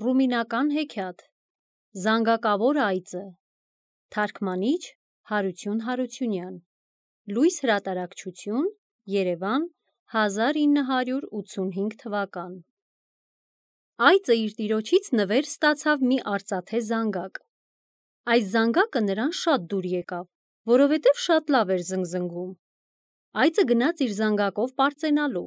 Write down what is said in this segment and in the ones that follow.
Ռումինական հեքիաթ Զանգակավոր այծը Թարգմանիչ Հարություն Հարությունյան Լույս հրատարակչություն Երևան 1985 թվական Այծը իր տիրոջից նվեր ստացավ մի արծաթե զանգակ։ Այս զանգակը նրան շատ դուր եկավ, որովհետև շատ լավ էր զնգզնգում։ Այծը գնաց իր զանգակով պարծենալու։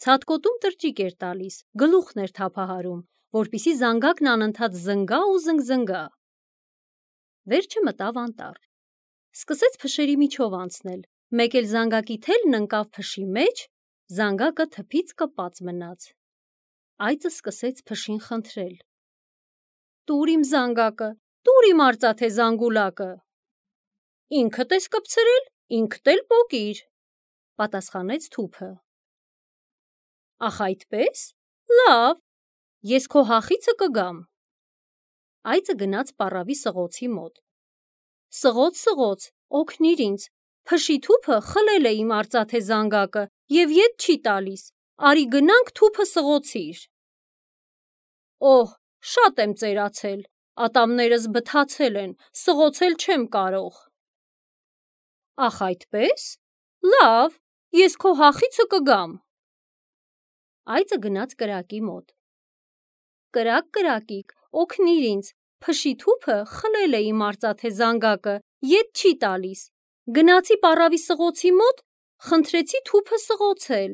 Ցատկոտում տրճիկ էր տալիս, գլուխն էր թափահարում, որպեսզի զանգակն անընդհատ զնգա ու զնգզնգա։ Վերջը մտավ անտառ։ Սկսեց փշերի միջով անցնել, մեկ էլ զանգակի թելն ընկավ փշի մեջ, զանգակը թփից կպած մնաց։ Այծը սկսեց փշին խնդրել. «Տուր իմ զանգակը, տուր իմ արծաթե զանգուլակը»։ «Ինքդ ես կպցրել, ինքդ էլ պոկիր», պատասխանեց թուփը։ «Ախ այդպես, լավ, ես քո հախիցը կգամ»։ Այծը գնաց պառավի սղոցի մոտ։ «Սղոց, սղոց, օգնիր ինձ, փշի թուփը խլել է իմ արծաթե զանգակը և ետ չի տալիս, արի գնանք թուփը սղոցիր»։ «Օհ, շատ եմ ծերացել, ատամներս բթացել են, սղոցել չեմ կարող»։ «Ախ այդպես, լավ, ես քո հախիցը կգամ»։ Այծը գնաց կրակի մոտ։ «Կրակ, կրակիկ, օգնիր ինձ, փշի թուփը խլել է իմ արծաթե զանգակը, ետ չի տալիս, գնացի պառավի սղոցի մոտ, խնդրեցի թուփը սղոցել,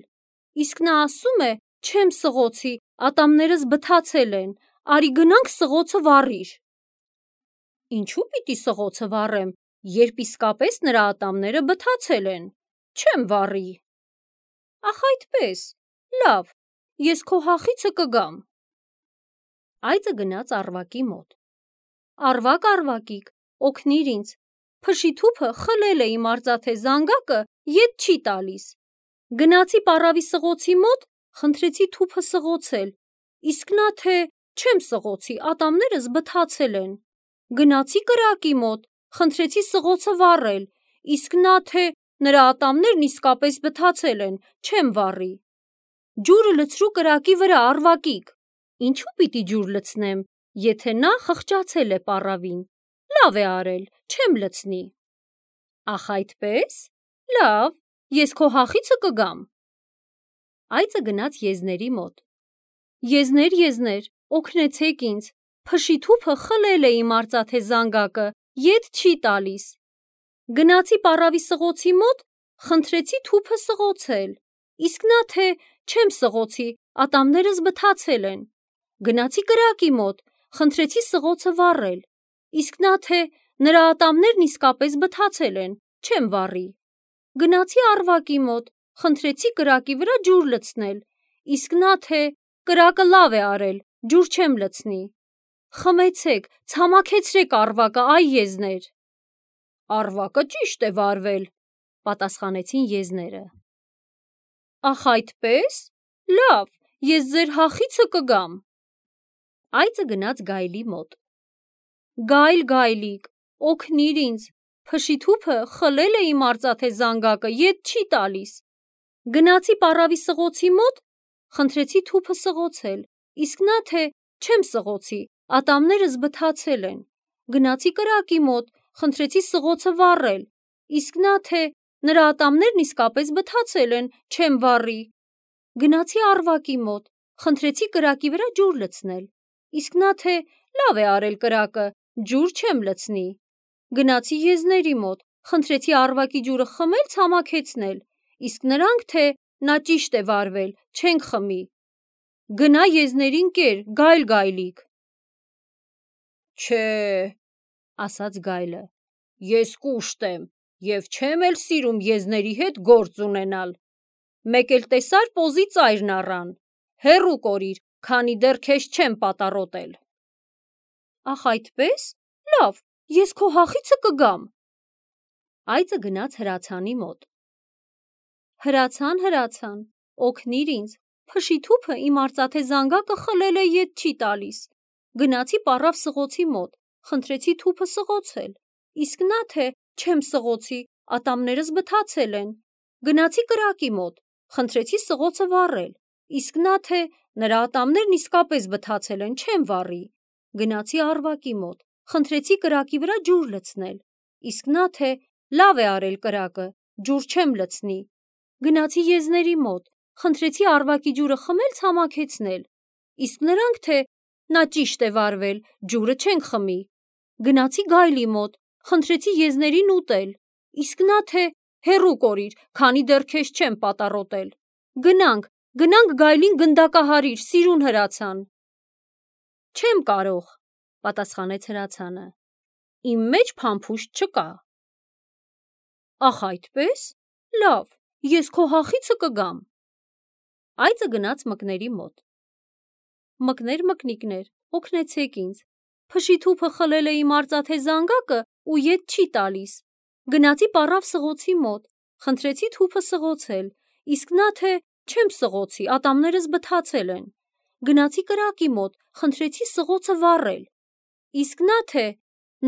իսկ նա ասում է չեմ սղոցի, ատամներս բթացել են, արի գնանք սղոցը վառիր»։ «Ինչու պիտի սղոցը վառեմ, երբ իսկապես նրա ատամները բթացել են, չեմ վառի»։ «Ախ այդպես, լավ, ես քո հախիցը կգամ»։ Այծը գնաց առվակի մոտ։ «Առվակ, առվակիկ, օգնիր ինձ, փշի թուփը խլել է իմ արծաթե զանգակը, ետ չի տալիս, գնացի պառավի սղոցի մոտ, խնդրեցի թուփը սղոցել, իսկ նա թե չեմ սղոցի, ատամներս բթացել են, գնացի կրակի մոտ, խնդրեցի սղոցը վառել, իսկ նա թե նրա ատամներն իսկապես բթացել են, չեմ վառի։ Ջուրը լցրու կրակի վրա, առվակիկ, ինչու պիտի ջուր լցնեմ, եթե նա խղճացել է պառավին, լավ է արել, չեմ լցնի»։ «Ախ այդպես, լավ, ես քո հախիցը կգամ»։ Այծը գնաց եզների մոտ։ «Եզներ, եզներ, օգնեցեք ինձ, փշի թուփը խլել է իմ արծաթե զանգակը, ետ չի տալիս, գնացի պառավի սղոցի մոտ, խնդրեցի թուփը սղոցել, իսկ նա թե չեմ սղոցի, ատամներս բթացել են, գնացի կրակի մոտ, խնդրեցի սղոցը վառել, իսկ նա թե նրա ատամներն իսկապես բթացել են, չեմ վառի։ Գնացի առվակի մոտ, խնդրեցի կրակի վրա ջուր լցնել, իսկ նա թե կրակը լավ է արել, ջուր չեմ լցնի։ Խմեցեք, ցամաքեցրեք առվակը, այ եզներ»։ «Առվակը ճիշտ է վառվել», պատասխանեցին եզները։ «Ախ այդպես, լավ, ես ձեր հախիցը կգամ»։ Այծը գնաց գայլի մոտ։ «Գայլ, գայլիկ, օգնիր ինձ, փշի թուփը խլել է իմ արծաթե զանգակը, ետ չի տալիս, գնացի պառավի սղոցի մոտ, խնդրեցի թուփը սղոցել, իսկ նա թե չեմ սղոցի, ատամներս բթացել են, գնացի կրակի մոտ, խնդրեցի սղոցը վառել, իսկ նա թե նրա ատամներն իսկապես բթացել են, չեմ վառի։ Գնացի առվակի մոտ, խնդրեցի կրակի վրա ջուր լցնել, իսկ նա թե լավ է արել կրակը, ջուր չեմ լցնի։ Գնացի եզների մոտ, խնդրեցի առվակի ջուրը խմել, ցամաքեցնել, իսկ նրանք թե նա ճիշտ է վառվել, չենք խմի։ Գնա եզներին կեր, գայլ, գայլիկ»։ «Չէ, ասաց գայլը, ես կուշտ եմ և չեմ էլ սիրում եզների հետ գործ ունենալ, մեկ էլ տեսար պոզի ծայրն առան, հեռու կորիր, քանի դեռ քեզ չեմ պատառոտել»։ «Ախ այդպես, լավ, ես քո հախիցը կգամ»։ Այծը գնաց հրացանի մոտ։ «Հրացան, հրացան, օգնիր ինձ, փշի թուփը իմ արծաթե զանգակը խլել է, ետ չի տալիս, գնացի պառավ սղոցի մոտ, խնդրեցի թուփը սղոցել, իսկ նա թե չեմ սղոցի, ատամներս բթացել են, գնացի կրակի մոտ, խնդրեցի սղոցը վառել, իսկ նա թե Նրա ատամներն իսկապես բթացել են, չեմ վառի։ Գնացի առվակի մոտ, խնդրեցի կրակի վրա ջուր լցնել, իսկ նա թե լավ է արել կրակը, ջուր չեմ լցնի։ Գնացի եզների մոտ, խնդրեցի առվակի ջուրը խմել, ցամաքեցնել, իսկ նրանք թե նա ճիշտ է վարվել, ջուրը չենք խմի։ Գնացի գայլի մոտ, խնդրեցի եզներին ուտել, իսկ նա թե հեռու կորիր, քանի դեռ քեզ չեմ պատառոտել։ Գնանք գայլին գնդակահարիր, սիրուն հրացան։ Չեմ կարող, պատասխանեց հրացանը, իմ մեջ փամփուշտ չկա։ Ախ այդպես, լավ, ես քո հախիցը կգամ։ Այծը գնաց մկների մոտ։ Մկներ, օգնեցեք ինձ, փշիթուփը խլել է իմ արծաթե զանգակը ու ետ չի տալիս։ Գնացի պառավ սղոցի մոտ, խնդրեցի թուփը սղոցել, իսկ նա թե չեմ սղոցի, ատամներս բթացել են։ Գնացի կրակի մոտ, խնդրեցի սղոցը վառել, իսկ նա թե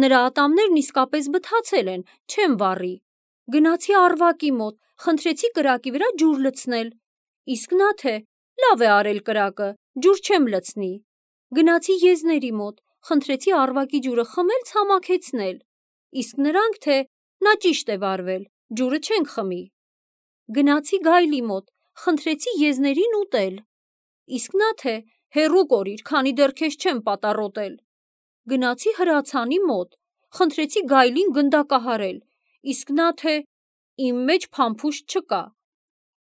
նրա ատամներն իսկապես բթացել են, չեմ վառի։ Գնացի առվակի մոտ, խնդրեցի կրակի վրա ջուր լցնել, իսկ նա թե լավ է արել կրակը, ջուր չեմ լցնի։ Գնացի եզների մոտ, խնդրեցի առվակի ջուրը խմել, ցամաքեցնել, իսկ նրանք թե նա ճիշտ է վարվել, ջուրը չենք խմի։ Գնացի գայլի մոտ, խնդրեցի եզներին ուտել, իսկ նա թե հեռու կորիր, քանի դեռ քեզ չեմ պատառոտել։ Գնացի հրացանի մոտ, խնդրեցի գայլին գնդակահարել, իսկ նա թե իմ մեջ փամփուշտ չկա։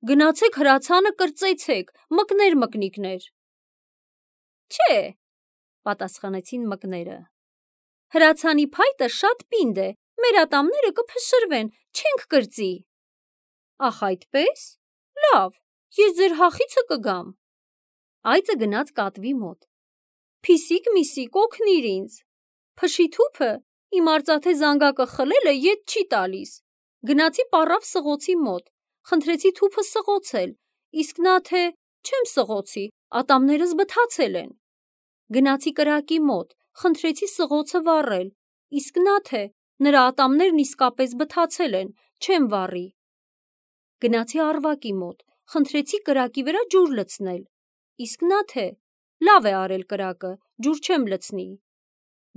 Գնացեք հրացանը կրծեցեք, մկներ։ Չէ, պատասխանեցին մկները։ Հրացանի փայտը շատ պինդ է, մեր ատամները կփշրվեն, չենք կրծի։ Ախ այդպես, լավ, ես ձեր հախիցը կգամ։ Այծը գնաց կատվի մոտ։ Փիսիկ միսիկ, օգնիր ինձ, փշիթուփը իմ արծաթե զանգակը խլել է, ետ չի տալիս։ Գնացի պառավ սղոցի մոտ, խնդրեցի թուփը սղոցել, իսկ նա թե չեմ սղոցի, ատամներս բթացել են։ Գնացի կրակի մոտ, խնդրեցի սղոցը վառել, իսկ նա թե նրա ատամներն իսկապես բթացել են, չեմ վառի։ Գնացի առվակի մոտ, խնդրեցի կրակի վրա ջուր լցնել, իսկ նա թե լավ է արել կրակը, ջուր չեմ լցնի։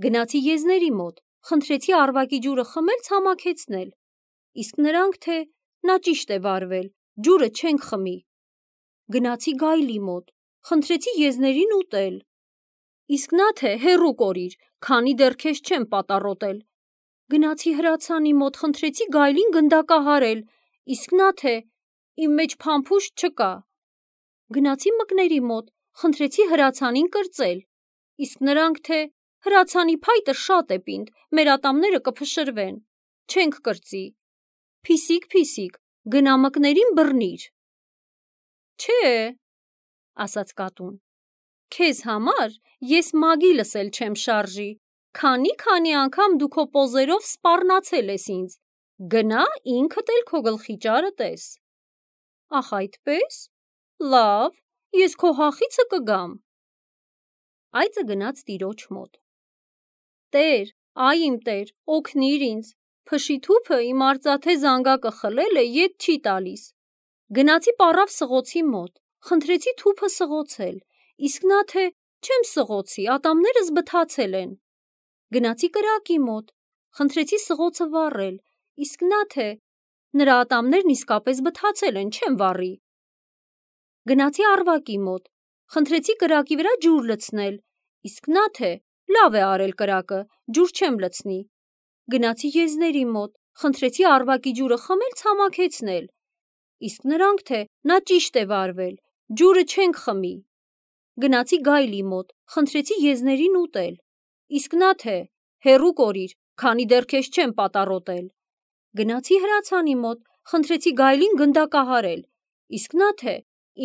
Գնացի եզների մոտ, խնդրեցի առվակի ջուրը խմել, ցամաքեցնել, իսկ նրանք թե նա ճիշտ է վարվել, ջուրը չենք խմի։ Գնացի գայլի մոտ, խնդրեցի եզներին ուտել, իսկ նա թե հեռու կորիր, քանի դեռ քեզ չեմ պատառոտել։ Գնացի հրացանի մոտ, խնդրեցի գայլին գնդակահարել, իսկ նա թե իմ մեջ փամփուշտ չկա։ Գնացի մկների մոտ, խնդրեցի հրացանին կրծել, իսկ նրանք թե հրացանի փայտը շատ է պինդ, մեր ատամները կփշրվեն, չենք կրծի։ Փիսիկ, գնա մկներին բռնիր։ Չէ, ասաց կատուն, քեզ համար ես մագի լսել չեմ շարժի, քանի անգամ դու քո պոզերով սպառնացել ես ինձ, գնա ինքդ էլ քո գլխի ճարը տես։ Ախ այդպես, լավ, ես քո հախիցը կգամ։ Այծը գնաց տիրոջ մոտ։ Տեր, այ իմ տեր, օգնիր ինձ, փշիթուփը իմ արծաթե զանգակը խլել է, ետ չի տալիս։ Գնացի պառավ սղոցի մոտ, խնդրեցի թուփը սղոցել, իսկ նա թե չեմ սղոցի, ատամներս բթացել են։ Գնացի կրակի մոտ, խնդրեցի սղոցը վառել, իսկ նա թե նրա ատամներն իսկապես բթացել են, չեմ վառի։ Գնացի առվակի մոտ, խնդրեցի կրակի վրա ջուր լցնել, իսկ նա թե լավ է արել կրակը, ջուր չեմ լցնի։ Գնացի եզների մոտ, խնդրեցի առվակի ջուրը խմել, ցամաքեցնել, իսկ նրանք թե նա ճիշտ է վարվել, ջուրը չենք խմի։ Գնացի գայլի մոտ, խնդրեցի եզներին ուտել, իսկ նա թե հեռու կորիր, քանի դեռ քեզ չեմ պատառոտել։ Գնացի հրացանի մոտ, խնդրեցի գայլին գնդակահարել, իսկ նա թե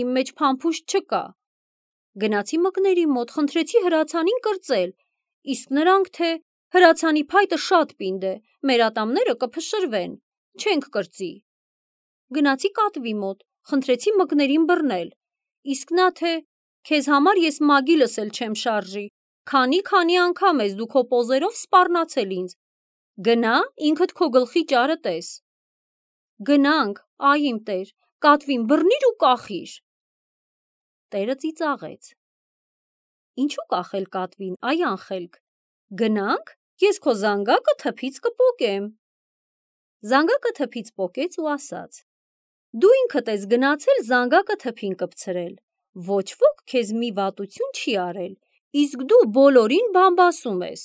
իմ մեջ փամփուշտ չկա։ Գնացի մկների մոտ, խնդրեցի հրացանին կրծել, իսկ նրանք թե հրացանի փայտը շատ պինդ է, մեր ատամները կփշրվեն, չենք կրծի։ Գնացի կատվի մոտ, խնդրեցի մկներին բռնել, իսկ նա թե քեզ համար ես մագի լսել չեմ շարժի, քանի անգամ ես դու քո պոզերով սպառնացել ինձ, գնա ինքդ քո գլխի ճարը տես։ Գնանք, այ իմ տեր, կատվին բռնիր ու կախիր։ տերը ծիծաղեց. «Ինչու կախել կատվին, այ անխելք, գնանք, ես քո զանգակը թփից կպոկեմ»։ Զանգակը թփից պոկեց ու ասաց. «Դու ինքդ ես գնացել զանգակը թփին կպցրել, ոչ ոք քեզ մի վատություն չի արել, իսկ դու բոլորին բամբասում ես։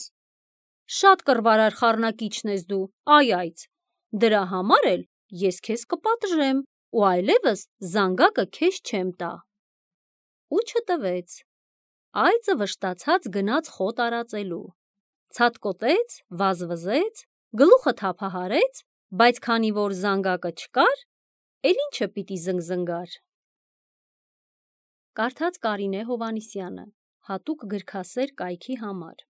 Շատ կռվարար խառնակիչն ես դու, այ, դրա համար էլ ես քեզ կպատժեմ ու այլևս զանգակը քեզ չեմ տա»։ Ու չտվեց։ Այծը վշտացած գնաց խոտ արածելու, ցատկոտեց, վազվզեց, գլուխը թափահարեց, բայց քանի որ զանգակը չկար, էլ ինչը պիտի զնգզնգար։ Կարդաց Կարինե Հովհաննիսյանը, հատուկ գրքասեր կայքի համար։